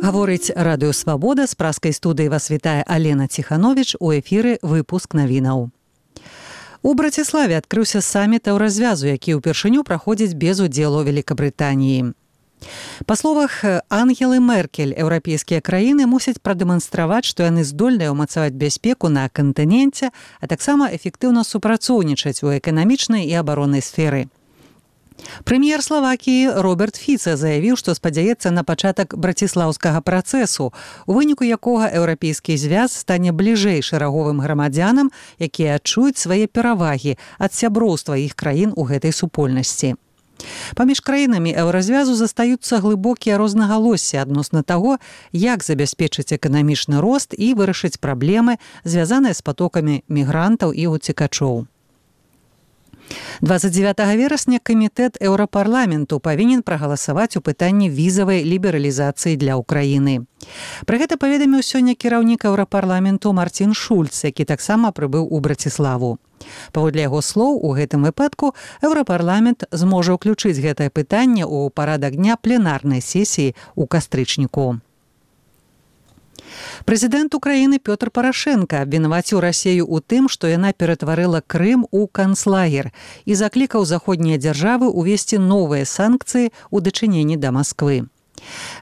Гаворыць Радыё Свабода, з праскай студыі вас вітае Алена Ціхановіч, у эфіры выпуск навінаў. У Браціславе адкрыўся саміт еўразвязу, які ўпершыню праходзіць без удзелу Великабрытаніі. Па словах Ангелы Меркель, еўрапейскія краіны мусяць прадэманстраваць, што яны здольныя ўмацаваць бяспеку на кантыненце, а таксама эфектыўна супрацоўнічаць у эканамічнай і абароннай сферы. Прэм'ер Славакіі Роберт Фіца заявіў, што спадзяецца на пачатак браціслаўскага працэсу, у выніку якога еўрапейскі звяз стане бліжэй шэраговым грамадзянам, якія адчуюць свае перавагі ад сяброўства іх краін у гэтай супольнасці. Паміж краінамі еўразвязу застаюцца глыбокія рознагалоссі адносна таго, як забяспечыць эканамічны рост і вырашыць праблемы, звязаныя з патокамі мігрантаў і уцекачоў. 29 верасня камітэт Еўрапарламенту павінен прагаласаваць у пытанні візавай лібералізацыі для Ўкраіны. Пра гэта паведаміў сёння кіраўнік Еўрапарламенту Мартин Шульц, які таксама прыбыў у Браціславу. Паводле яго слоў, у гэтым выпадку Еўрапарламент зможа ўключыць гэтае пытанне ў парадак дня пленарнай сесіі ў кастрычніку. Прэзідэнт Украіны Пётр Парашенка абвінаваціў Расею ў тым, што яна ператварыла Крым у канцлагер і заклікаў заходнія дзяржавы ўвесці новыя санкцыі ў дачыненні да Масквы.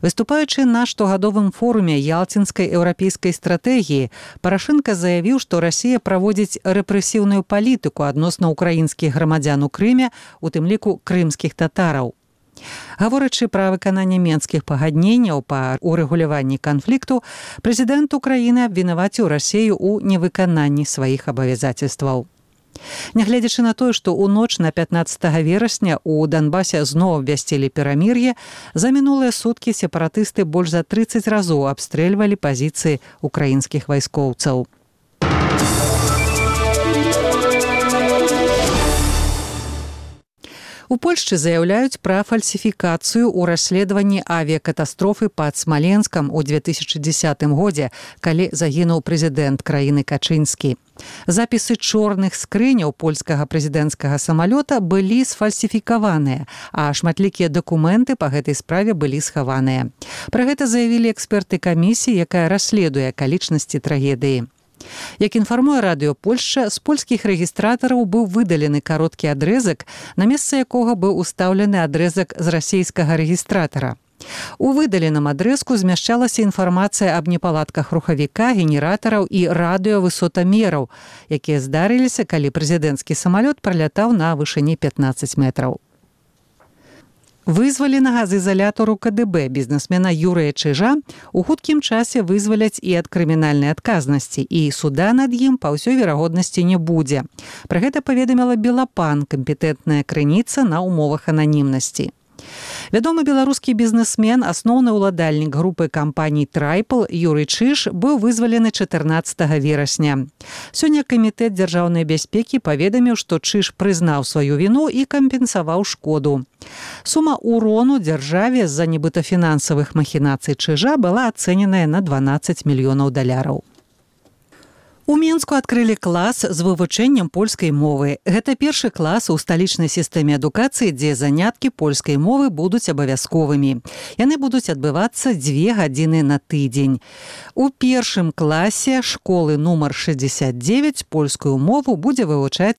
Выступаючы на штогадовым форуме ялцінскай еўрапейскай стратэгіі, Парашенка заявіў, што Расія праводзіць рэпрэсіўную палітыку адносна ўкраінскіх грамадзян у Крыме, у тым ліку крымскіх татараў. Гаворачы пра выкананне менскіх пагадненняў па урэгуляванні канфлікту, прэзідэнт Украіны абвінаваціў Расею ў невыкананні сваіх абавязацельстваў. Нягледзячы на тое, што ў ноч на 15 верасня ў Донбасе зноў абвясцілі перамір'е, за мінулыя суткі сепаратысты больш за 30 разоў абстрэльвалі пазіцыі украінскіх вайскоўцаў. У Польшчы заяўляюць пра фальсіфікацыю ў расследаванні авіякатастрофы пад Смаленскам у 2010 годзе, калі загінуў прэзідэнт краіны Качынскі. Запісы чорных скрыняў польскага прэзідэнцкага самалёта былі сфальсіфікаваныя, а шматлікія дакументы па гэтай справе былі схаваныя. Пра гэта заявілі эксперты камісіі, якая расследуе акалічнасці трагедыі. Як інфармуе Радыё Польшча, з польскіх рэгістратараў быў выдалены кароткі адрэзак, на месца якога быў устаўлены адрэзак з расейскага рэгістратара. У выдаленым адрэзку змяшчалася інфармацыя аб непаладках рухавіка, генератараў і радыёвысотамераў, якія здарыліся, калі прэзідэнцкі самалёт пралятаў на вышыні 15 метраў. Вызваленага з ізалятару КДБ бізнесмена Юрыя Чижа у хуткім часе вызваляць і ад крымінальнай адказнасці, і суда над ім па ўсёй верагоднасці не будзе. Пра гэта паведаміла Белапан, кампетэнтная крыніца на умовах ананімнасці. Вядомы беларускі бізнесмен, асноўны ўладальнік групы кампаній «Трайпл» Юрый Чиж быў вызвалены 14 верасня. Сёння камітэт дзяржаўнай бяспекі паведаміў, што Чиж прызнаў сваю віну і кампенсаваў шкоду. Сума ўрону дзяржаве з-за нібыта фінансавых махінацый Чижа была ацэненая на $12 мільёнаў. У Мінску адкрылі клас з вывучэннем польскай мовы. Гэта першы клас у сталічнай сістэме адукацыі, дзе заняткі польскай мовы будуць абавязковымі. Яны будуць адбывацца 2 гадзіны на тыдзень. У першым класе школы нумар 69 польскую мову будзе вывучаць